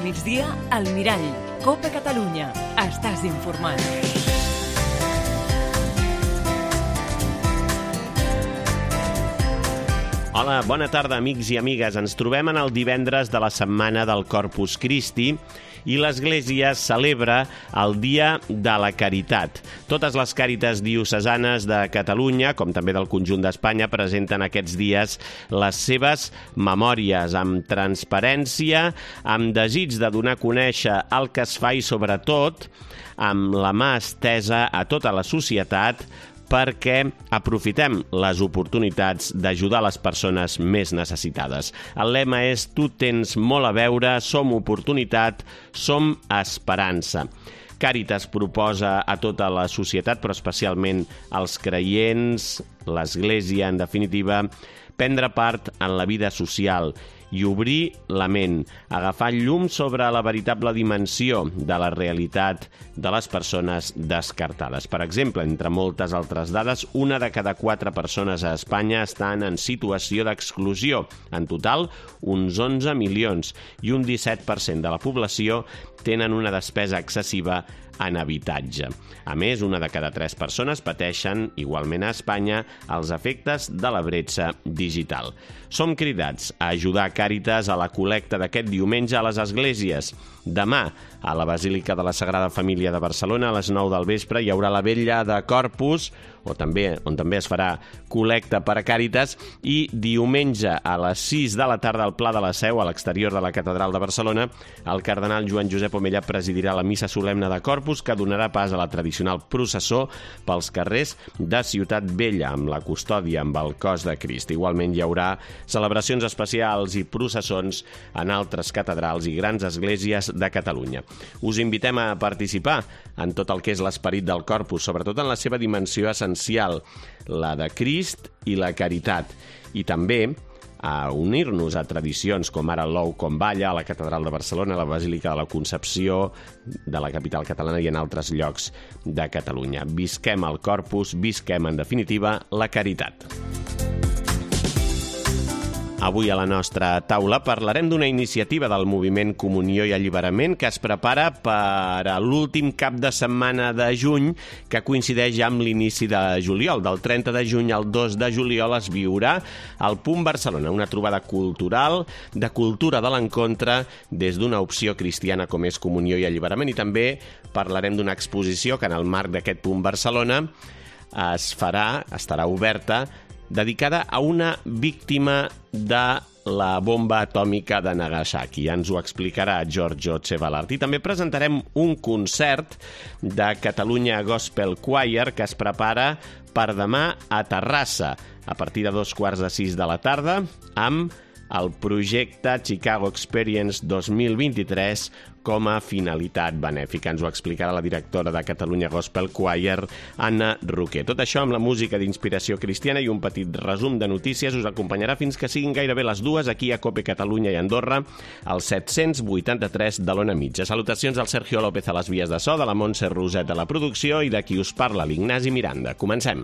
migdia, al Mirall. Copa Catalunya. Estàs informat. Hola, bona tarda, amics i amigues. Ens trobem en el divendres de la setmana del Corpus Christi i l'Església celebra el Dia de la Caritat. Totes les càritas diocesanes de Catalunya, com també del conjunt d'Espanya, presenten aquests dies les seves memòries amb transparència, amb desig de donar a conèixer el que es fa i, sobretot, amb la mà estesa a tota la societat perquè aprofitem les oportunitats d'ajudar les persones més necessitades. El lema és «Tu tens molt a veure, som oportunitat, som esperança». Càritas proposa a tota la societat, però especialment als creients, l'Església, en definitiva, prendre part en la vida social i obrir la ment, agafar llum sobre la veritable dimensió de la realitat de les persones descartades. Per exemple, entre moltes altres dades, 1 de cada 4 persones a Espanya estan en situació d'exclusió. En total, uns 11 milions i un 17% de la població tenen una despesa excessiva en habitatge. A més, 1 de cada 3 persones pateixen, igualment a Espanya, els efectes de la bretxa digital. Som cridats a ajudar Càritas a la col·lecta d'aquest diumenge a les esglésies. Demà, a la Basílica de la Sagrada Família de Barcelona, a les 9 del vespre, hi haurà la vetlla de Corpus, on també es farà col·lecta per a Càritas, i diumenge a les 6 de la tarda al Pla de la Seu, a l'exterior de la Catedral de Barcelona, el cardenal Joan Josep Omella presidirà la missa solemne de Corpus, que donarà pas a la tradicional processó pels carrers de Ciutat Vella, amb la custòdia amb el cos de Crist. Igualment hi haurà celebracions especials i processons en altres catedrals i grans esglésies de Catalunya. Us invitem a participar en tot el que és l'esperit del Corpus, sobretot en la seva dimensió essencial, la de Crist i la caritat, i també a unir-nos a tradicions com ara l'ou com balla a la Catedral de Barcelona, a la Basílica de la Concepció de la capital catalana i en altres llocs de Catalunya. Visquem el Corpus, visquem, en definitiva, la caritat. Avui a la nostra taula parlarem d'una iniciativa del moviment Comunió i Alliberament que es prepara per a l'últim cap de setmana de juny, que coincideix amb l'inici de juliol. Del 30 de juny al 2 de juliol es viurà al Punt Barcelona, una trobada cultural de cultura de l'encontre des d'una opció cristiana com és Comunió i Alliberament, i també parlarem d'una exposició que en el marc d'aquest Punt Barcelona estarà oberta, dedicada a una víctima de la bomba atòmica de Nagasaki. Ja ens ho explicarà Giorgio Cebalart. I també presentarem un concert de Catalunya Gospel Choir que es prepara per demà a Terrassa, a partir de 5:15 de la tarda, amb el projecte Chicago Experience 2023 com a finalitat benèfica. Ens ho explicarà la directora de Catalunya Gospel Choir, Anna Roquer. Tot això amb la música d'inspiració cristiana i un petit resum de notícies us acompanyarà fins que siguin gairebé les 2 aquí a Cope Catalunya i Andorra, al 783 de l'Ona Mitja. Salutacions al Sergio López a les vies de so, de la Montse Roset a la producció i de qui us parla, l'Ignasi Miranda. Comencem.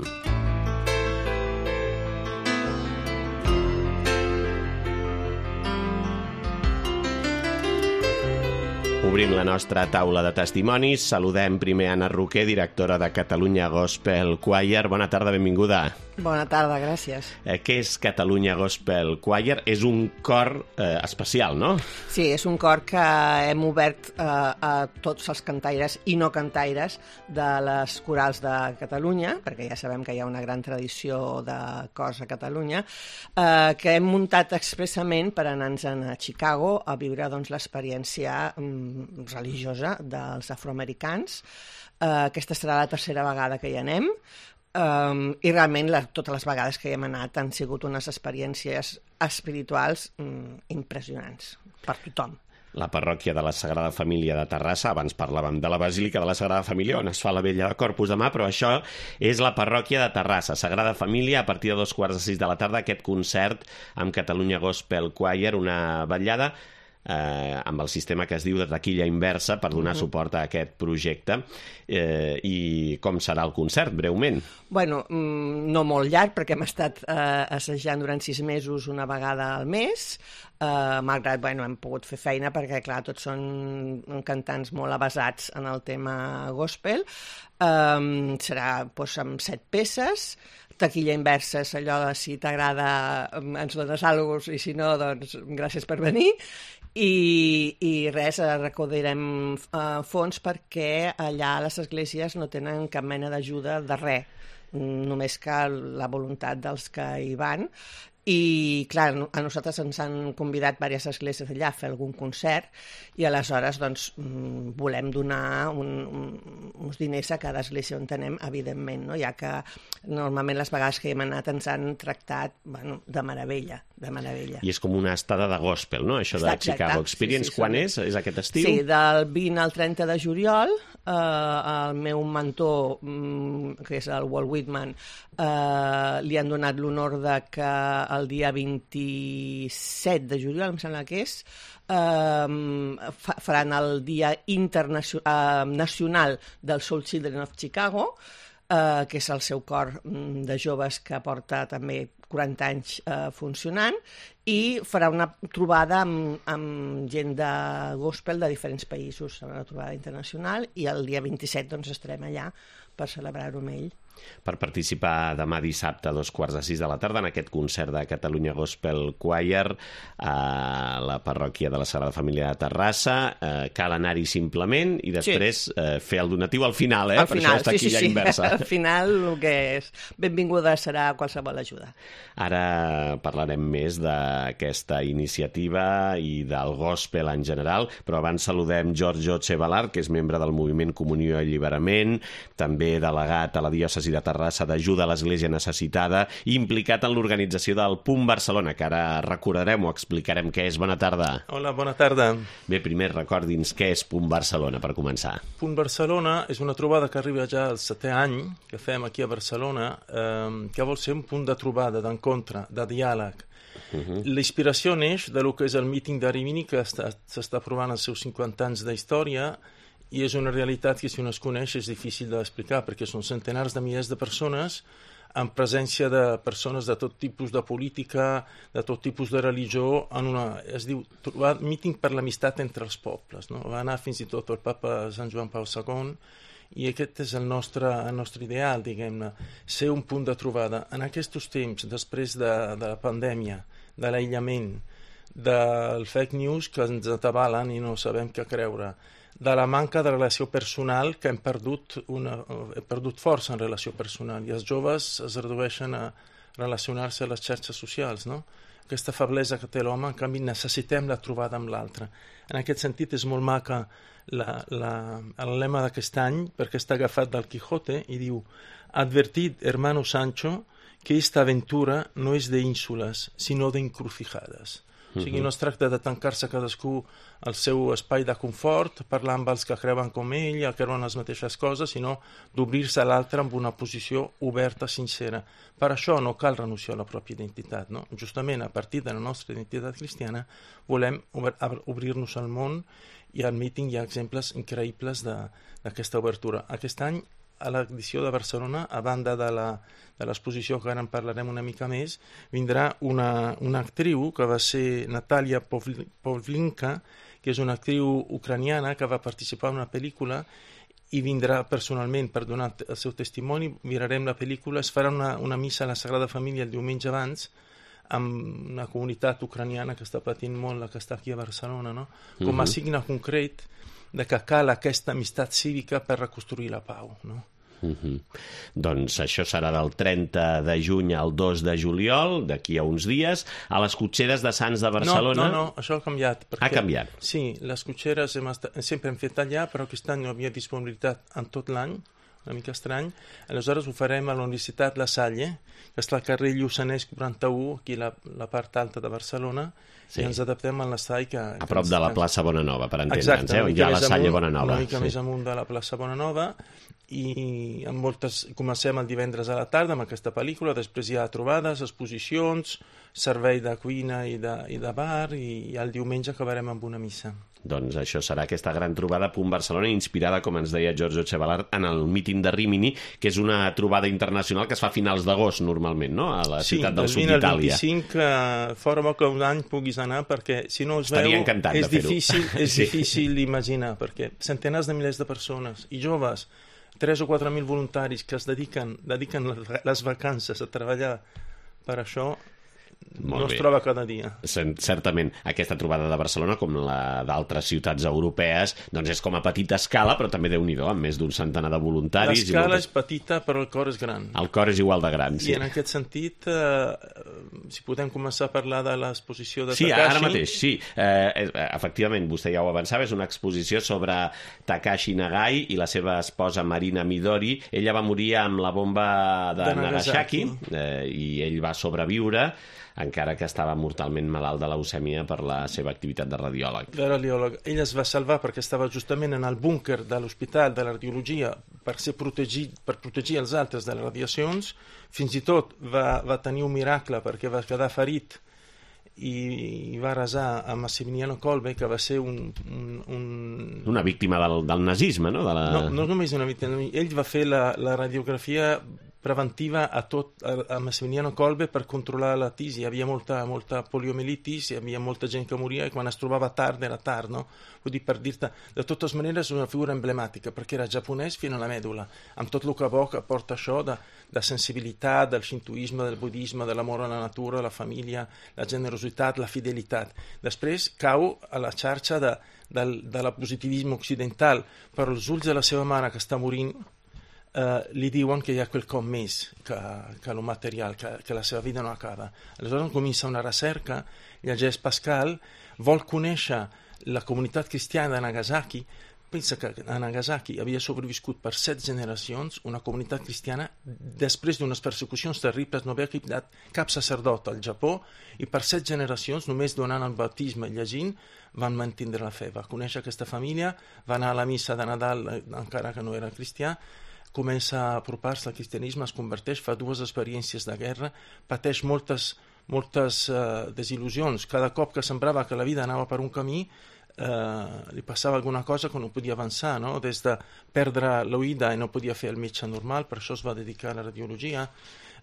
Obrim la nostra taula de testimonis. Saludem primer Anna Roquer, directora de Catalunya Gospel Choir. Bona tarda, benvinguda. Bona tarda, gràcies. Què és Catalunya Gospel Choir? És un cor especial, no? Sí, és un cor que hem obert a tots els cantaires i no cantaires de les corals de Catalunya, perquè ja sabem que hi ha una gran tradició de cors a Catalunya, que hem muntat expressament per anar-nos a Chicago a viure l'experiència religiosa dels afroamericans. Aquesta serà la tercera vegada que hi anem, i realment totes les vegades que hi hem anat han sigut unes experiències espirituals impressionants per tothom. La parròquia de la Sagrada Família de Terrassa, abans parlàvem de la Basílica de la Sagrada Família, on es fa la vetlla de Corpus demà, però això és la parròquia de Terrassa, Sagrada Família, a partir de 5:15 de la tarda, aquest concert amb Catalunya Gospel Choir, una vetllada amb el sistema que es diu de taquilla inversa per donar suport a aquest projecte. I com serà el concert, breument? Bueno, no molt llarg, perquè hem estat assajant durant 6 mesos una vegada al mes, malgrat, bueno, hem pogut fer feina perquè, clar, tots són cantants molt avasats en el tema gospel. Serà doncs, amb 7 peces, taquilla inversa és allò de si t'agrada ens dones alguna cosa i si no, doncs gràcies per venir. I res, recolzarem fons perquè allà les esglésies no tenen cap mena d'ajuda de res, només que la voluntat dels que hi van. I, clar, a nosaltres ens han convidat diverses esglésies allà a fer algun concert i aleshores doncs, volem donar uns diners a cada església on anem, evidentment, no? Ja que normalment les vegades que hi hem anat ens han tractat de meravella, de meravella. I és com una estada de gospel, no? Això de Chicago Experience. Sí, quan és? És aquest estiu? Sí, del 20 al 30 de juliol. El meu mentor, que és el Walt Whitman, li han donat l'honor de que el dia 27 de juliol, em sembla que és, faran el Dia Nacional del Soul Children of Chicago, que és el seu cor de joves que porta també 40 anys funcionant, i farà una trobada amb gent de gospel de diferents països, serà una trobada internacional, i el dia 27 doncs, estarem allà per celebrar-ho amb ell. Per participar demà dissabte a 5:45 de la tarda en aquest concert de Catalunya Gospel Choir a la parròquia de la Sagrada Família de Terrassa. Cal anar-hi simplement i després fer el donatiu al final, al per final, això està aquí ja inversa. Al final el que és benvinguda serà qualsevol ajuda. Ara parlarem més d'aquesta iniciativa i del gospel en general, però abans saludem Giorgio Cebalart, que és membre del moviment Comunió i Alliberament, també delegat a la diòcesi de Terrassa d'ajuda a l'Església Necessitada, i implicat en l'organització del Punt Barcelona, que ara recordarem o explicarem què és. Bona tarda. Hola, bona tarda. Bé, primer recordi'ns què és Punt Barcelona, per començar. Punt Barcelona és una trobada que arriba ja al 7è any, que fem aquí a Barcelona, que vol ser un punt de trobada, d'encontre, de diàleg. L'inspiració neix de lo que és el míting de Rimini, que s'està provant els seus 50 anys d'història, i és una realitat que, si no es coneix, és difícil d'explicar, perquè són centenars de milers de persones amb presència de persones de tot tipus de política, de tot tipus de religió, es diu míting per l'amistat entre els pobles. No? Va anar fins i tot el papa Sant Joan Pau II, i aquest és el nostre ideal, diguem-ne, ser un punt de trobada. En aquests temps, després de la pandèmia, de l'aïllament, del fake news que ens atabalen i no sabem què creure, de la manca de relació personal, que hem perdut força en relació personal, i els joves es redueixen a relacionar-se a les xarxes socials, no? Aquesta feblesa que té l'home, en canvi necessitem la trobada amb l'altre. En aquest sentit és molt maca el lema d'aquest any, perquè està agafat del Quijote, i diu: advertid, hermano Sancho, que esta aventura no és d'ínsules, sinó d'encrucijades. O sigui, no es tracta de tancar-se cadascú al seu espai de confort, parlar amb els que creuen com ell, que creuen les mateixes coses, sinó d'obrir-se a l'altre amb una posició oberta, sincera. Per això no cal renunciar a la pròpia identitat, no? Justament a partir de la nostra identitat cristiana volem obrir-nos al món, i al míting hi ha exemples increïbles d'aquesta obertura. Aquest any, a l'edició de Barcelona, a banda de l'exposició, que ara en parlarem una mica més, vindrà una actriu que va ser Natalia Pavlinka, que és una actriu ucraniana que va participar en una pel·lícula, i vindrà personalment per donar el seu testimoni. Mirarem la pel·lícula, es farà una missa a la Sagrada Família el diumenge abans, amb una comunitat ucraniana que està patint molt, la que està aquí a Barcelona, no? Com a signe concret de que cal aquesta amistat cívica per reconstruir la pau, no? Doncs això serà del 30 de juny al 2 de juliol, d'aquí a uns dies, a les cotxeres de Sants de Barcelona. No, això ha canviat. Ha canviat? Sí, les cotxeres sempre hem fet allà, però aquest any no havia disponibilitat en tot l'any, una mica estrany. Aleshores ho farem a la Universitat La Salle, que està al carrer Lluçanès 41, aquí a la part alta de Barcelona, i ens adaptem a l'espai que... A prop de la plaça Bonanova, per entendre'ns, ja a la Salle Bonanova. Una mica més amunt de la plaça Bonanova, i comencem el divendres a la tarda amb aquesta pel·lícula, després hi ha trobades, exposicions, servei de cuina i de bar, i el diumenge acabarem amb una missa. Doncs això serà aquesta gran trobada Punt Barcelona, inspirada, com ens deia Giorgio Chevallard, en el míting de Rimini, que és una trobada internacional que es fa a finals d'agost normalment, no? A la ciutat del sud d'Itàlia. Sí, del 25, fora bo que un any puguis anar, perquè si no els veu és difícil d'imaginar, perquè centenars de milers de persones i joves, 3 o 4.000 voluntaris que es dediquen les vacances a treballar per això, no es troba cada dia. Certament, aquesta trobada de Barcelona, com la d'altres ciutats europees, doncs és com a petita escala, però també Déu-n'hi-do, amb més d'un centenar de voluntaris. L'escala és petita, però el cor és gran. El cor és igual de gran, sí. I en aquest sentit, si podem començar a parlar de l'exposició de Takashi... Sí, ara mateix, sí. Efectivament, vostè ja ho avançava, és una exposició sobre Takashi Nagai i la seva esposa Marina Midori. Ella va morir amb la bomba de Nagasaki i ell va sobreviure, encara que estava mortalment malalt de leucèmia per la seva activitat de radiòleg. Ell es va salvar perquè estava justament en el búnquer de l'hospital de la radiologia per protegir els altres de les radiacions. Fins i tot va tenir un miracle perquè va quedar ferit i va resar a Massimiliano Kolbe, que va ser una víctima del nazisme, no? No només una víctima. Ell va fer la radiografia preventiva a Massimiliano Kolbe per controlar la tisi. Hi havia molta poliomielitis, hi havia molta gent que moria, i quan es trobava tard era tard, no? Vull dir, per dir-te, de totes maneres és una figura emblemàtica, perquè era japonès fins a la mèdula, amb tot el que porta això de sensibilitat, del shintoisme, del budisme, de l'amor a la natura, la família, la generositat, la fidelitat. Després cau a la xarxa de la positivisme occidental, però els ulls de la seva mare, que està morint, li diuen que hi ha quelcom més que el material, que la seva vida no acaba. Aleshores comença una recerca, llegeix Pascal, vol conèixer la comunitat cristiana de Nagasaki. Pensa que a Nagasaki havia sobreviscut per 7 generacions una comunitat cristiana després d'unes persecucions terribles, no havia quedat cap sacerdot al Japó, i per 7 generacions, només donant el baptisme i llegint, van mantindre la fe. Va conèixer aquesta família, va anar a la missa de Nadal, encara que no era cristià, comença a apropar-se al cristianisme, es converteix, fa 2 experiències de guerra, pateix moltes desil·lusions. Cada cop que semblava que la vida anava per un camí, li passava alguna cosa que no podia avançar, no? Des de perdre l'oïda i no podia fer el metge normal, per això es va dedicar a la radiologia.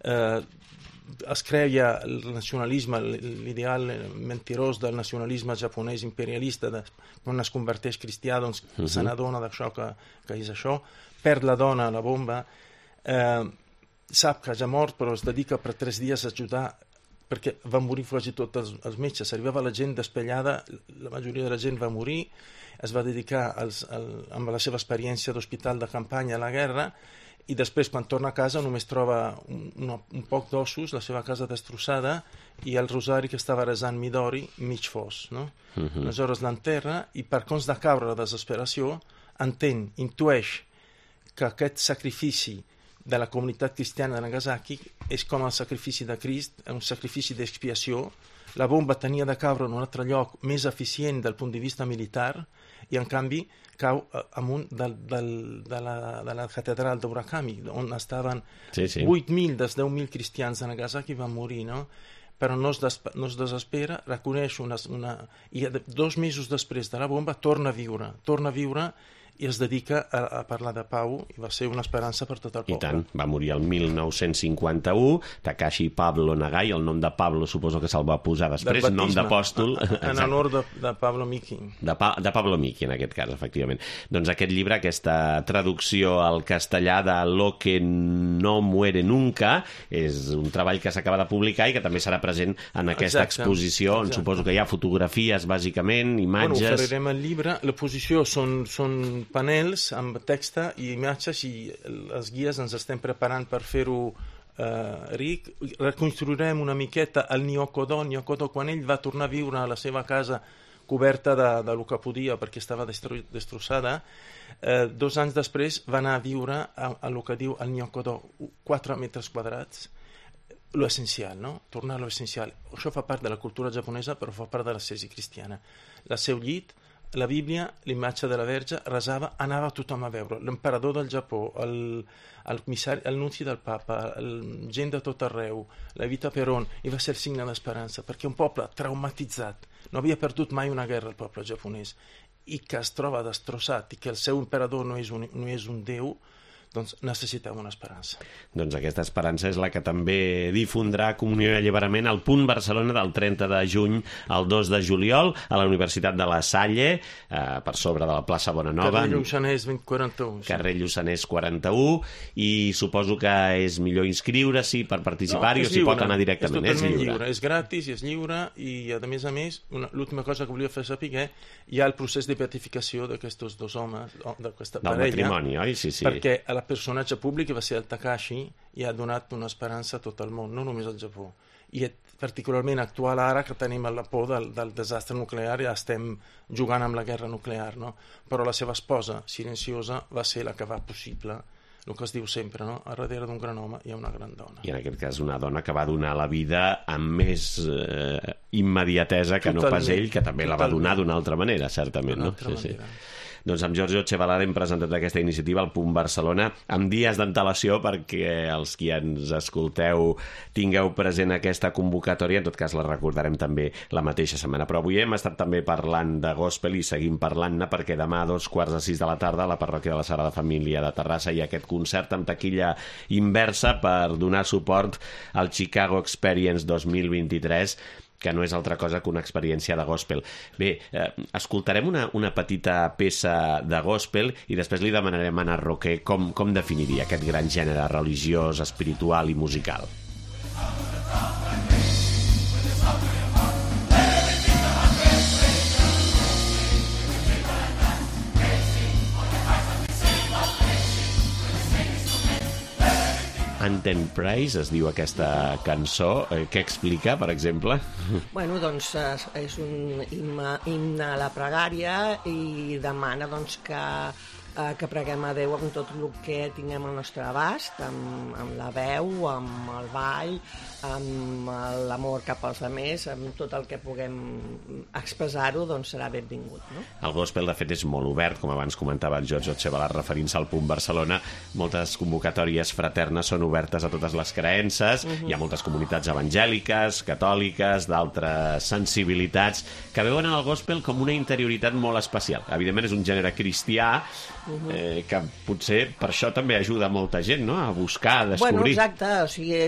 Es creia el nacionalisme, l'ideal mentirós del nacionalisme japonès imperialista, quan es converteix cristià, doncs se n'adona d'això que és això, perd la dona a la bomba, sap que ja ha mort, però es dedica per 3 dies a ajudar, perquè van morir quasi tots els metges, arribava la gent despellada, la majoria de la gent va morir, es va dedicar amb la seva experiència d'hospital de campanya a la guerra, i després, quan torna a casa, només troba un poc d'ossos, la seva casa destrossada, i el rosari que estava resant Midori mig fos, no? Aleshores l'enterra, i per cons de caure la desesperació, intueix que aquest sacrifici de la comunitat cristiana de Nagasaki és com el sacrifici de Crist, un sacrifici d'expiació. La bomba tenia de caure en un altre lloc més eficient del punt de vista militar, i en canvi cau amunt de la catedral d'Urakami, on estaven 8.000 dels 10.000 cristians de Nagasaki van morir, no? Però no es desespera, reconeix i 2 mesos després de la bomba torna a viure i es dedica a parlar de pau, i va ser una esperança per tot el poble. I tant, va morir el 1951, Takashi Pablo Nagai, el nom de Pablo suposo que se'l va posar després, nom d'apòstol. En honor de Pablo Miki. De Pablo Miki, en aquest cas, efectivament. Doncs aquest llibre, aquesta traducció al castellà de Lo que no muere nunca, és un treball que s'acaba de publicar i que també serà present en aquesta exposició, on suposo que hi ha fotografies, bàsicament, imatges... Bueno, oferirem el llibre. L'exposició són panels amb text i imatges, i els guies ens estem preparant per fer-ho ric. Reconstruirem una miqueta el Nyokodo quan ell va tornar a viure a la seva casa coberta del que podia perquè estava destrossada. 2 anys després va anar a viure a el que diu el Nyokodo, 4 metres quadrats, lo essencial, no? Tornar a lo essencial. Això fa part de la cultura japonesa, però fa part de l'ascesi cristiana. El seu llit, la Bíblia, l'imatge de la Verge, resava, anava tothom a veure. L'emperador del Japó, el nunci del papa, gent de tot arreu, la Evita Peron, i va ser el signe d'esperança, perquè un poble traumatitzat, no havia perdut mai una guerra el poble japonès, i que es troba destrossat, i que el seu emperador no és un déu, doncs necessitava una esperança. Doncs aquesta esperança és la que també difondrà Comunió i Alliberament al Punt Barcelona del 30 de juny al 2 de juliol a la Universitat de La Salle, per sobre de la plaça Bonanova. Carrer Lluçanès 41. Carrer Lluçanès 41, i suposo que és millor inscriure-s'hi per participar-hi, o s'hi pot anar directament. És totalment lliure. És gratis i és lliure, i a més, l'última cosa que volia fer saber, hi ha el procés de beatificació d'aquests 2 homes, d'aquesta parella. Del matrimoni, oi? Sí. Perquè a la personatge públic que va ser el Takashi i ha donat una esperança a tot el món, no només al Japó. I és particularment actual ara que tenim la por del desastre nuclear i estem jugant amb la guerra nuclear, no? Però la seva esposa, silenciosa, va ser la que va possible, el que es diu sempre, no? A darrere d'un gran home hi ha una gran dona. I en aquest cas una dona que va donar la vida amb més immediatesa que no pas ell, que també la va donar d'una altra manera, certament, no? Sí. Doncs amb Giorgio Cebalada hem presentat aquesta iniciativa al Punt Barcelona amb dies d'antelació perquè els qui ens escolteu tingueu present aquesta convocatòria. En tot cas la recordarem també la mateixa setmana. Però avui hem estat també parlant de gospel i seguim parlant-ne perquè demà a 5:45 de la tarda a la parròquia de la Sagrada Família de Terrassa hi ha aquest concert amb taquilla inversa per donar suport al Chicago Experience 2023, que no és altra cosa que una experiència de gospel. Bé, escoltarem una petita peça de gospel i després li demanarem a Ana Roquer com definiria aquest gran gènere religiós, espiritual i musical. Anthem Praise es diu aquesta cançó. Què explica, per exemple? Bueno, doncs és un himne a la pregària i demana doncs, que preguem a Déu amb tot el que tinguem al nostre abast, amb la veu, amb el ball, amb l'amor cap als altres, amb tot el que puguem expressar-ho, doncs serà benvingut, no? El gospel, de fet, és molt obert, com abans comentava el Giorgio Cebalada referint-se al Punt Barcelona. Moltes convocatòries fraternes són obertes a totes les creences. Hi ha moltes comunitats evangèliques, catòliques, d'altres sensibilitats, que veuen en el gospel com una interioritat molt especial. Evidentment és un gènere cristià, que potser per això també ajuda molta gent, no?, a buscar, a descobrir. Bueno, exacte, o sigui,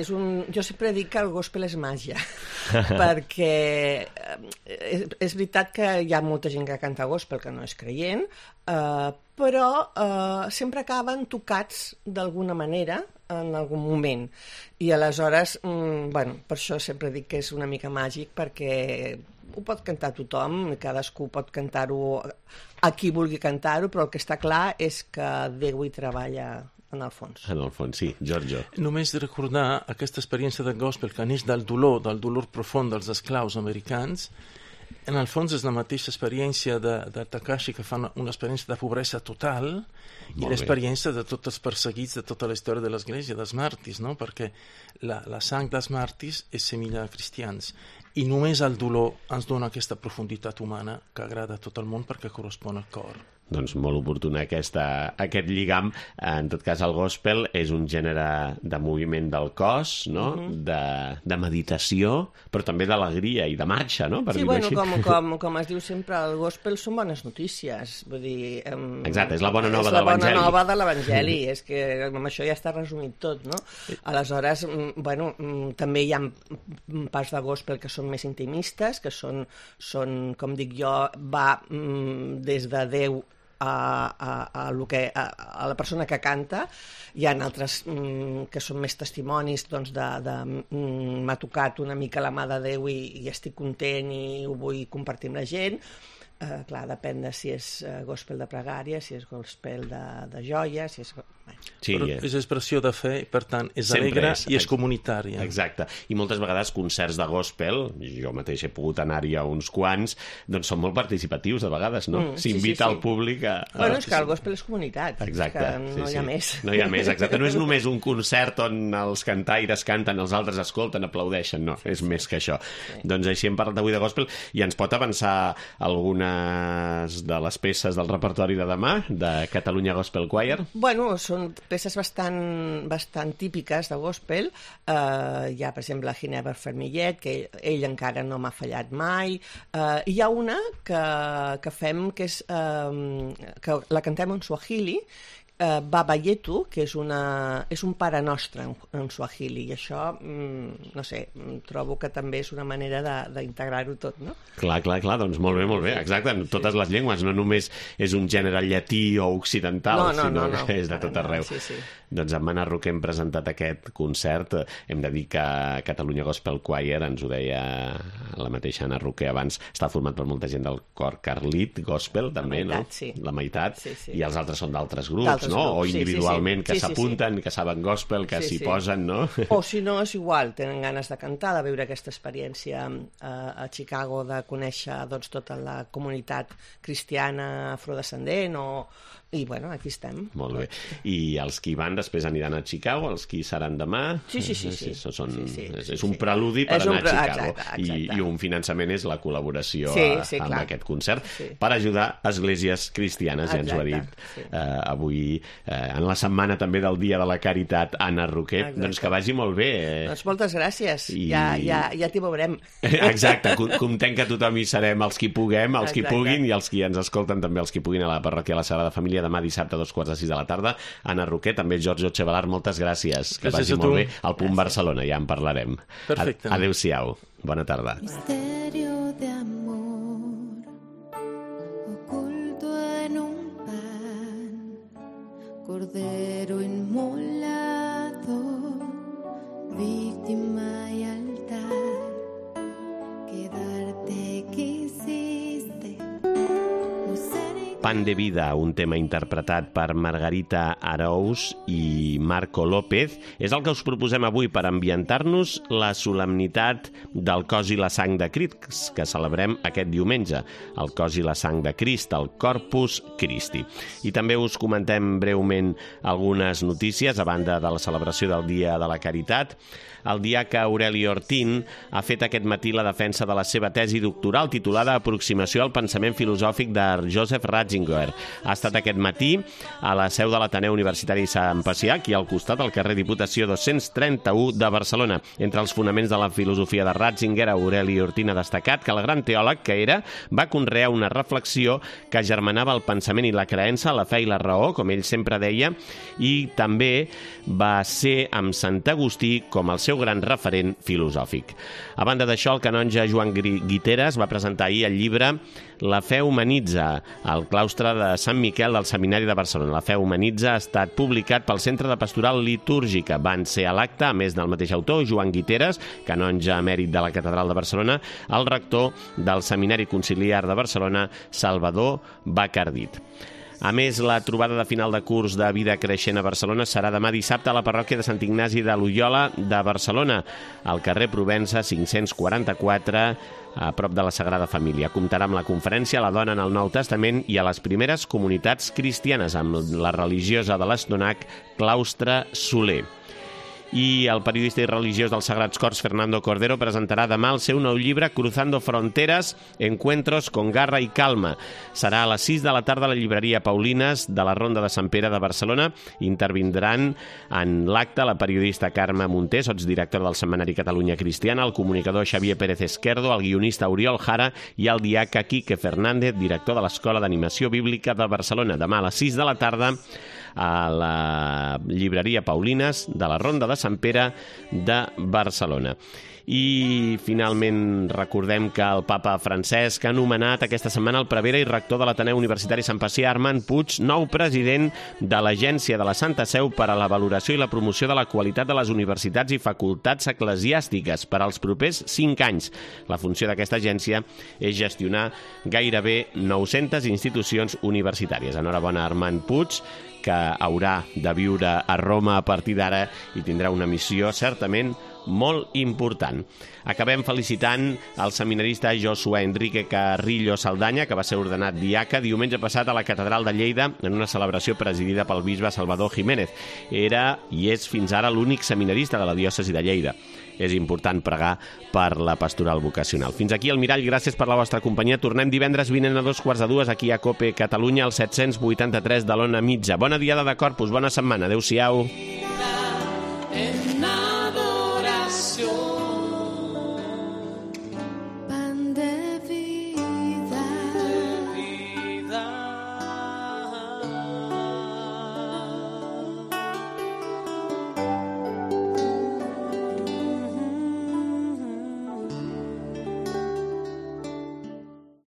jo sempre dic que el gospel és màgia, perquè és veritat que hi ha molta gent que canta gospel que no és creient, però sempre acaben tocats d'alguna manera en algun moment, i aleshores, bueno, per això sempre dic que és una mica màgic, perquè ho pot cantar tothom, cadascú pot cantar-ho a qui vulgui cantar-ho, però el que està clar és que Déu hi treballa en el fons. En el fons, sí. Giorgio. Només recordar aquesta experiència del gospel que neix del dolor profund dels esclaus americans. En el fons és la mateixa experiència de Takashi, que fa una experiència de pobresa total, i l'experiència de tots els perseguits de tota la història de l'Església, dels màrtirs, no? Perquè la sang dels màrtirs és semilla de cristians, i només el dolor ens dona aquesta profunditat humana que agrada a tot el món perquè correspon al cor. Doncs molt oportuna aquest lligam. En tot cas, el gospel és un gènere de moviment del cos, no? De meditació, però també d'alegria i de marxa, no? Per sí, bueno, com es diu sempre, el gospel són bones notícies. Vull dir, exacte, és la bona nova de l'Evangeli. És la bona nova de l'Evangeli, és que amb això ja està resumit tot, no? Aleshores, bueno, també hi ha parts de gospel que són més intimistes, que són com dic jo, va des de Déu a la persona que canta. Hi ha altres que són més testimonis, doncs, m'ha tocat una mica la mà de Déu i estic content i ho vull compartir amb la gent. Clar, depèn de si és gospel de pregària, si és gospel de joia, si és... Sí, Però és expressió de fe, per tant, és sempre alegre i és comunitària. Exacte. I moltes vegades concerts de gospel, jo mateix he pogut anar-hi a uns quants, doncs són molt participatius de vegades, no? S'invita al públic a... Bueno, és que el gospel és comunitat. Exacte. És que no hi ha més. No hi ha més, exacte. No és només un concert on els cantaires canten, els altres escolten, aplaudeixen, no, és més que això. Doncs així hem parlat avui de gospel i ens pot avançar algunes de les peces del repertori de demà, de Catalunya Gospel Choir? Bueno, són peces bastant típiques de gospel. Hi ha, per exemple, Ginever Fermillet, que ell encara no m'ha fallat mai. Hi ha una que fem, que que la cantem en suahili, Baba Yetu, que és un pare nostre en suahili, i això, no sé, trobo que també és una manera d'integrar-ho tot, no? Clar, doncs molt bé, exacte, en totes les llengües, no només és un gènere llatí o occidental, sinó que és de tot arreu. Sí. Doncs amb Anna Roquer hem presentat aquest concert, hem de dir que Catalunya Gospel Choir, ens ho deia la mateixa Anna Roquer abans, està format per molta gent del cor Carlit Gospel, també, no? La meitat, i els altres són d'altres grups, no? O individualment, que s'apunten, que saben gospel, que s'hi posen, no? O si no, és igual, tenen ganes de cantar, de viure aquesta experiència a Chicago, de conèixer tota la comunitat cristiana afrodescendent, i bueno, aquí estem. Molt bé. I els qui van després aniran a Chicago, els qui seran demà? Sí. És un preludi per anar a Chicago. I un finançament és la col·laboració amb aquest concert per ajudar esglésies cristianes, ja ens ho ha dit avui, en la setmana també del Dia de la Caritat, Anna Roquer. Doncs que vagi molt bé. Doncs moltes gràcies. Ja t'hi veurem. Exacte. Comptem que tothom hi serem, els qui puguem, els qui puguin, i els qui ens escolten també, els qui puguin, a la parròquia La Sagrada Família, demà dissabte a 2:45 de la tarda. Anna Roquer, també Giorgio Chevalar, moltes gràcies. Que vagi molt bé. Al Punt Barcelona, ja en parlarem. Perfecte. Adéu-siau. Bona tarda. Misterio de amor oculto en un pan, cordero inmolado, víctima y altar, quedarte quisiste, no ser. Pan de vida, un tema interpretat per Margarita Arous i Marco López, és el que us proposem avui per ambientar-nos la solemnitat del cos i la sang de Crist, que celebrem aquest diumenge, el cos i la sang de Crist, el Corpus Christi. I també us comentem breument algunes notícies a banda de la celebració del Dia de la Caritat. El diaca Aureli Ortín ha fet aquest matí la defensa de la seva tesi doctoral titulada Aproximació al pensament filosòfic de Joseph Ratzinger. Ha estat aquest matí a la seu de l'Ateneu Universitari Sant Pacià, aquí al costat, al carrer Diputació 231 de Barcelona. Entre els fonaments de la filosofia de Ratzinger, Aureli Ortín ha destacat que el gran teòleg que era va conrear una reflexió que germanava el pensament i la creença, la fe i la raó, com ell sempre deia, i també va ser amb Sant Agustí com el seu gran referent filosòfic. A banda d'això, el canonge Joan Guiteras va presentar ahir el llibre La fe humanitza, al claustre de Sant Miquel del Seminari de Barcelona. La fe humanitza ha estat publicat pel Centre de Pastoral Litúrgica. Van ser a l'acte, a més del mateix autor, Joan Guiteras, canonge emèrit de la Catedral de Barcelona, el rector del Seminari Conciliar de Barcelona, Salvador Bacardit. A més, la trobada de final de curs de Vida Creixent a Barcelona serà demà dissabte a la parròquia de Sant Ignasi de Loyola de Barcelona, al carrer Provença 544, a prop de la Sagrada Família. Comptarà amb la conferència La dona en el Nou Testament i a les primeres comunitats cristianes, amb la religiosa de l'Estonac, Claustre Soler. I el periodista i religiós dels Sagrats Cors, Fernando Cordero, presentarà demà el seu nou llibre Cruzando Fronteras, Encuentros con Garra y Calma. Serà a les 6 de la tarda a la llibreria Paulines de la Ronda de Sant Pere de Barcelona. Intervindran en l'acte la periodista Carme Monter, sotsdirectora del Setmanari Catalunya Cristiana, el comunicador Xavier Pérez Esquerdo, el guionista Oriol Jara i el diaca Quique Fernández, director de l'Escola d'Animació Bíblica de Barcelona. Demà a les 6 de la tarda a la llibreria Paulines de la Ronda de Sant Pere de Barcelona. I finalment recordem que el papa Francesc ha nomenat aquesta setmana el prevere i rector de l'Ateneu Universitari Sant Pacià, Armand Puig, nou president de l'Agència de la Santa Seu per a la valoració i la promoció de la qualitat de les universitats i facultats eclesiàstiques per als propers 5 anys. La funció d'aquesta agència és gestionar gairebé 900 institucions universitàries. Enhorabona, Armand Puig, que haurà de viure a Roma a partir d'ara i tindrà una missió certament molt important. Acabem felicitant el seminarista Josué Enrique Carrillo Saldaña, que va ser ordenat diaca diumenge passat a la Catedral de Lleida en una celebració presidida pel bisbe Salvador Jiménez. Era i és fins ara l'únic seminarista de la diòcesi de Lleida. És important pregar per la pastoral vocacional. Fins aquí el Mirall, gràcies per la vostra companyia. Tornem divendres vinent a 2:15 aquí a COPE Catalunya, al 783 de l'Ona Mitja. Bona diada de Corpus, bona setmana. Adéu-siau.